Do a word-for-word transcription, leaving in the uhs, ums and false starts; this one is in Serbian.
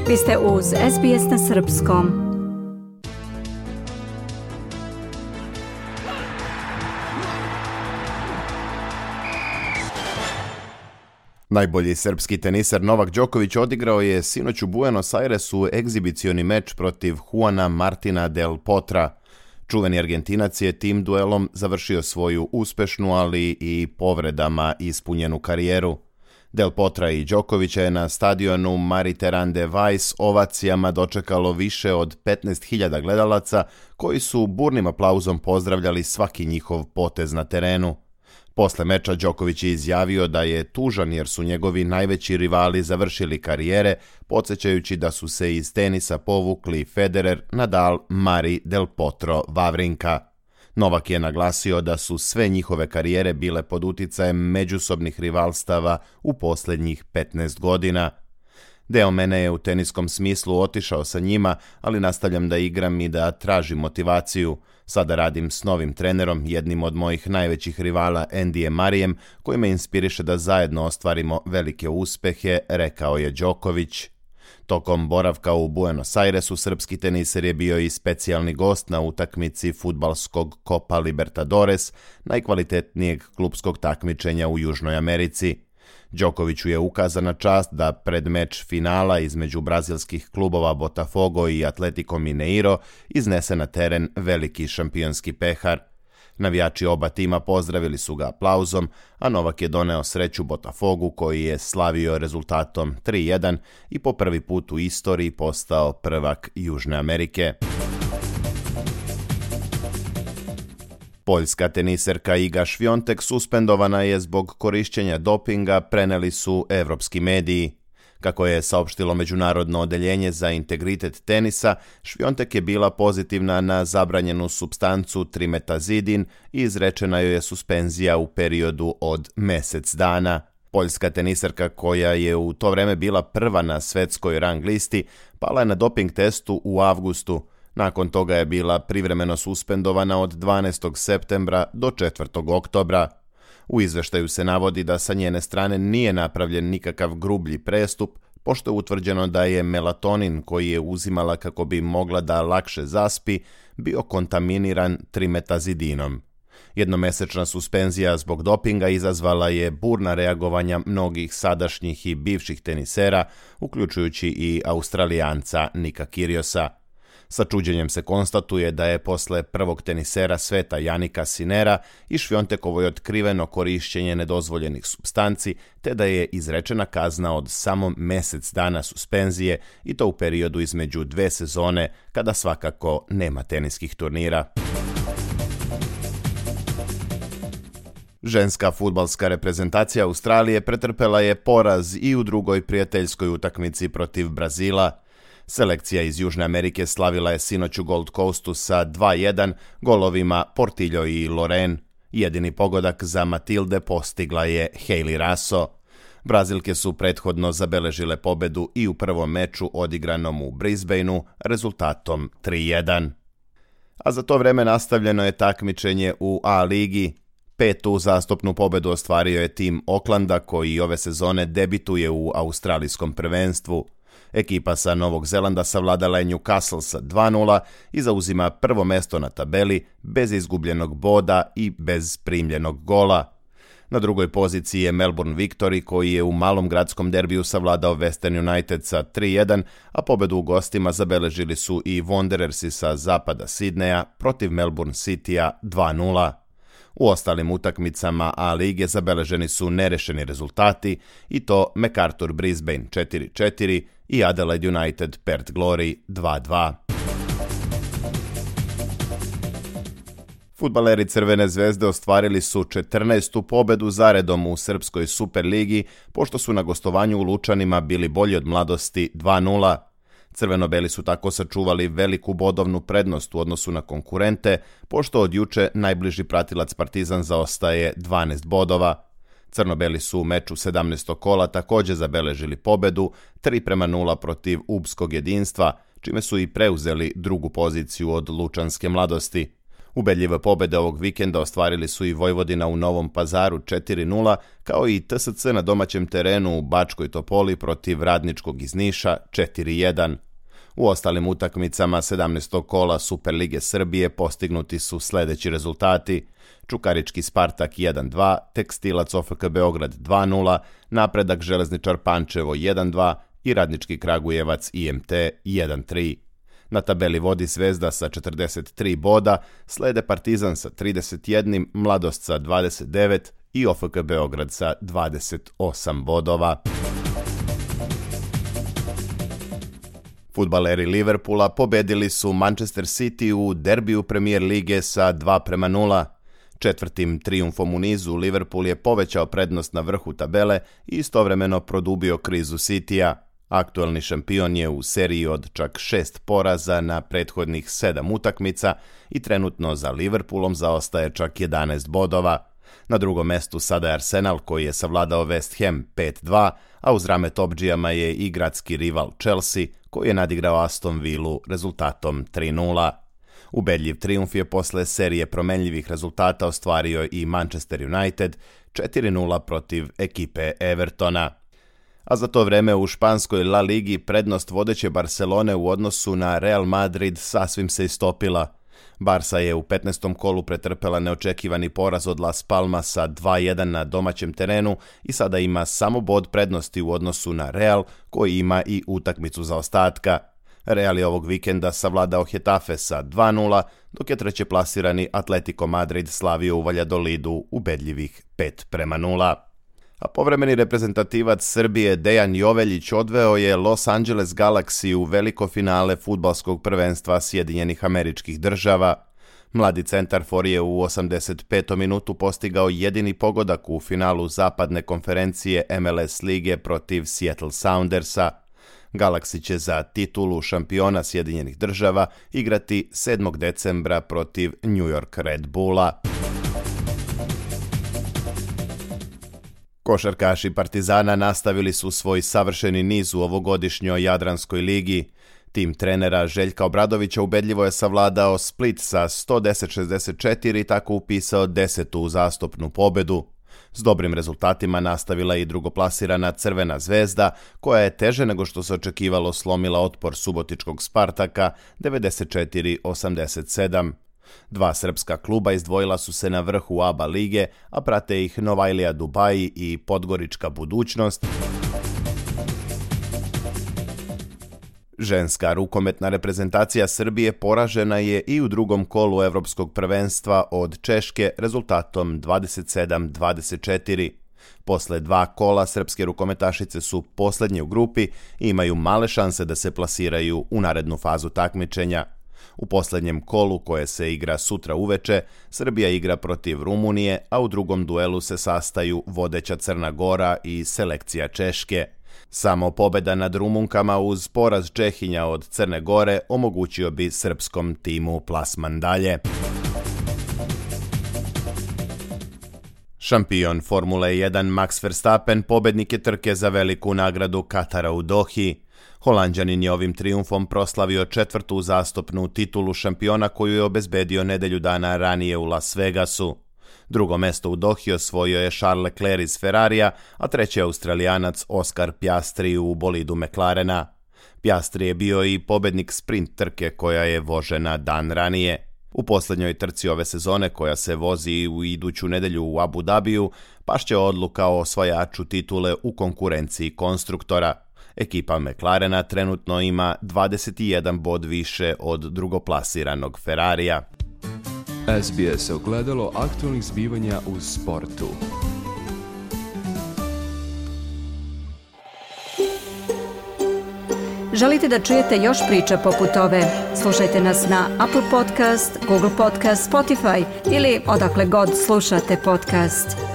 Vi ste uz S B S na srpskom. Najbolji srpski teniser Novak Đoković odigrao je sinoć u Buenos Airesu egzibicioni meč protiv Juana Martina del Potra. Čuveni Argentinac je tim duelom završio svoju uspešnu, ali i povredama ispunjenu karijeru. Del Potra i Đokovića je na stadionu Mariterán de Valls ovacijama dočekalo više od petnaest hiljada gledalaca koji su burnim aplauzom pozdravljali svaki njihov potez na terenu. Posle meča Đoković je izjavio da je tužan jer su njegovi najveći rivali završili karijere, podsjećajući da su se iz tenisa povukli Federer, Nadal, Murray, Del Potro, Wawrinka. Novak je naglasio da su sve njihove karijere bile pod uticajem međusobnih rivalstava u posljednjih petnaest godina. Deo mene je u teniskom smislu otišao sa njima, ali nastavljam da igram i da tražim motivaciju. Sada radim s novim trenerom, jednim od mojih najvećih rivala Andyjem Murrayem, koji me inspiriše da zajedno ostvarimo velike uspehe, rekao je Đoković. Tokom boravka u Buenos Airesu srpski teniser je bio i specijalni gost na utakmici fudbalskog Copa Libertadores, najkvalitetnijeg klupskog takmičenja u Južnoj Americi. Đokoviću je ukazana čast da pred meč finala između brazilskih klubova Botafogo i Atletico Mineiro iznese na teren veliki šampionski pehar. Navijači oba tima pozdravili su ga aplauzom, a Novak je doneo sreću Botafogu koji je slavio rezultatom tri jedan i po prvi put u istoriji postao prvak Južne Amerike. Poljska teniserka Iga Świątek suspendovana je zbog korišćenja dopinga, preneli su evropski mediji. Kako je saopštilo Međunarodno odeljenje za integritet tenisa, Świątek je bila pozitivna na zabranjenu supstancu trimetazidin i izrečena joj je suspenzija u periodu od mesec dana. Poljska teniserka, koja je u to vreme bila prva na svetskoj rang listi, pala je na doping testu u avgustu. Nakon toga je bila privremeno suspendovana od dvanaestog septembra do četvrtog oktobra. U izveštaju se navodi da sa njene strane nije napravljen nikakav grublji prestup, pošto je utvrđeno da je melatonin koji je uzimala kako bi mogla da lakše zaspi, bio kontaminiran trimetazidinom. Jednomesečna suspenzija zbog dopinga izazvala je burna reagovanja mnogih sadašnjih i bivših tenisera, uključujući i Australijanca Nika Kyrgiosa. Sa čuđenjem se konstatuje da je posle prvog tenisera sveta Janika Sinera i Świątekovoj otkriveno korišćenje nedozvoljenih supstanci, te da je izrečena kazna od samo mesec dana suspenzije i to u periodu između dve sezone kada svakako nema teniskih turnira. Ženska fudbalska reprezentacija Australije pretrpela je poraz i u drugoj prijateljskoj utakmici protiv Brazila. Selekcija iz Južne Amerike slavila je sinoć u Gold Coastu sa dva jedan golovima Portillo i Loren. Jedini pogodak za Matilde postigla je Hayley Raso. Brazilke su prethodno zabeležile pobedu i u prvom meču odigranom u Brisbaneu rezultatom tri jedan. A za to vreme nastavljeno je takmičenje u A ligi. Petu uzastopnu pobedu ostvario je tim Oaklanda koji ove sezone debituje u australijskom prvenstvu. Ekipa sa Novog Zelanda savladala je Newcastle sa dva nula i zauzima prvo mesto na tabeli bez izgubljenog boda i bez primljenog gola. Na drugoj poziciji je Melbourne Victory koji je u malom gradskom derbiju savladao Western United sa tri jedan, a pobedu u gostima zabeležili su i Wanderersi sa zapada Sidneja protiv Melbourne Citya dva nula. U ostalim utakmicama A lige zabeleženi su nerešeni rezultati i to MacArthur Brisbane četiri četiri i Adelaide United Perth Glory dva dva. Fudbaleri Crvene zvezde ostvarili su četrnaestu pobedu zaredom u Srpskoj Superligi, pošto su na gostovanju u Lučanima bili bolji od Mladosti dva nula. Crveno-beli su tako sačuvali veliku bodovnu prednost u odnosu na konkurente, pošto od juče najbliži pratilac Partizan zaostaje dvanaest bodova. Crno-beli su u meču sedamnaestog kola također zabeležili pobedu tri prema nula protiv Ubskog jedinstva, čime su i preuzeli drugu poziciju od Lučanske Mladosti. Ubedljive pobede ovog vikenda ostvarili su i Vojvodina u Novom Pazaru četiri nula, kao i T S C na domaćem terenu u Bačkoj Topoli protiv Radničkog iz Niša četiri jedan. U ostalim utakmicama sedamnaestog kola Superlige Srbije postignuti su sledeći rezultati: Čukarički Spartak jedan dva, Tekstilac O F K Beograd dva nula, Napredak Železničar Pančevo jedan dva i Radnički Kragujevac I M T jedan tri. Na tabeli vodi Zvezda sa četrdeset tri boda, slede Partizan sa trideset jedan, Mladost sa dvadeset devet i O F K Beograd sa dvadeset osam bodova. Fudbaleri Liverpoola pobedili su Manchester City u derbiju Premier lige sa dva prema nula. Četvrtim trijumfom u nizu Liverpool je povećao prednost na vrhu tabele i istovremeno produbio krizu Citya. Aktuelni šampion je u seriji od čak šest poraza na prethodnih sedam utakmica i trenutno za Liverpoolom zaostaje čak jedanaest bodova. Na drugom mestu sada je Arsenal koji je savladao West Ham pet dva, a uz rame topdžijama je i gradski rival Chelsea koji je nadigrao Aston Villu rezultatom tri nula. Ubedljiv trijumf je posle serije promenljivih rezultata ostvario i Manchester United četiri nula protiv ekipe Evertona. A za to vreme u španskoj La Ligi prednost vodeće Barcelone u odnosu na Real Madrid sasvim se istopila. Barsa je u petnaestom kolu pretrpela neočekivani poraz od Las Palmasa dva jedan na domaćem terenu i sada ima samo bod prednosti u odnosu na Real, koji ima i utakmicu zaostatka. Real je ovog vikenda savladao Getafe sa dva nula, dok je treće plasirani Atletico Madrid slavio u Valjadolidu ubedljivih pet prema nula. A povremeni reprezentativac Srbije Dejan Joveljić odveo je Los Angeles Galaxy u veliko finale fudbalskog prvenstva Sjedinjenih Američkih Država. Mladi centarfor je u osamdeset petom minutu postigao jedini pogodak u finalu zapadne konferencije M L S lige protiv Seattle Soundersa. Galaxy će za titulu šampiona Sjedinjenih Država igrati sedmog decembra protiv New York Red Bulla. Košarkaši Partizana nastavili su svoj savršeni niz u ovogodišnjoj Jadranskoj ligi. Tim trenera Željka Obradovića ubedljivo je savladao Split sa sto deset šezdeset četiri i tako upisao desetu uzastopnu pobedu. S dobrim rezultatima nastavila i drugoplasirana Crvena zvezda, koja je teže nego što se očekivalo slomila otpor subotičkog Spartaka devedeset četiri osamdeset sedam. Dva srpska kluba izdvojila su se na vrhu A B A lige, a prate ih Novajlija Dubaji i Podgorička Budućnost. Ženska rukometna reprezentacija Srbije poražena je i u drugom kolu Evropskog prvenstva od Češke rezultatom dvadeset sedam dvadeset četiri. Posle dva kola srpske rukometašice su poslednje u grupi i imaju male šanse da se plasiraju u narednu fazu takmičenja. U poslednjem kolu, koje se igra sutra uveče, Srbija igra protiv Rumunije, a u drugom duelu se sastaju vodeća Crna Gora i selekcija Češke. Samo pobeda nad Rumunkama uz poraz Čehinja od Crne Gore omogućio bi srpskom timu plasman dalje. Šampion Formule jedan Max Verstappen pobednik je trke za veliku nagradu Katara u Dohi. Holanđanin je ovim trijumfom proslavio četvrtu uzastopnu titulu šampiona koju je obezbedio nedelju dana ranije u Las Vegasu. Drugo mesto u Dohi osvojio je Charles Leclerc iz Ferrarija, a treći Australijanac Oscar Piastri u bolidu McLarena. Piastri je bio i pobednik sprint trke koja je vožena dan ranije. U posljednjoj trci ove sezone, koja se vozi u iduću nedelju u Abu Dhabiju, pašće odluka o osvajaču titule u konkurenciji konstruktora. Ekipa McLarena trenutno ima dvadeset jedan bod više od drugoplasiranog Ferrarija. S B S ogledalo aktualnih zbivanja u sportu. Želite da čujete još priča poput ove? Slušajte nas na Apple Podcast, Google Podcast, Spotify ili odakle god slušate podcast.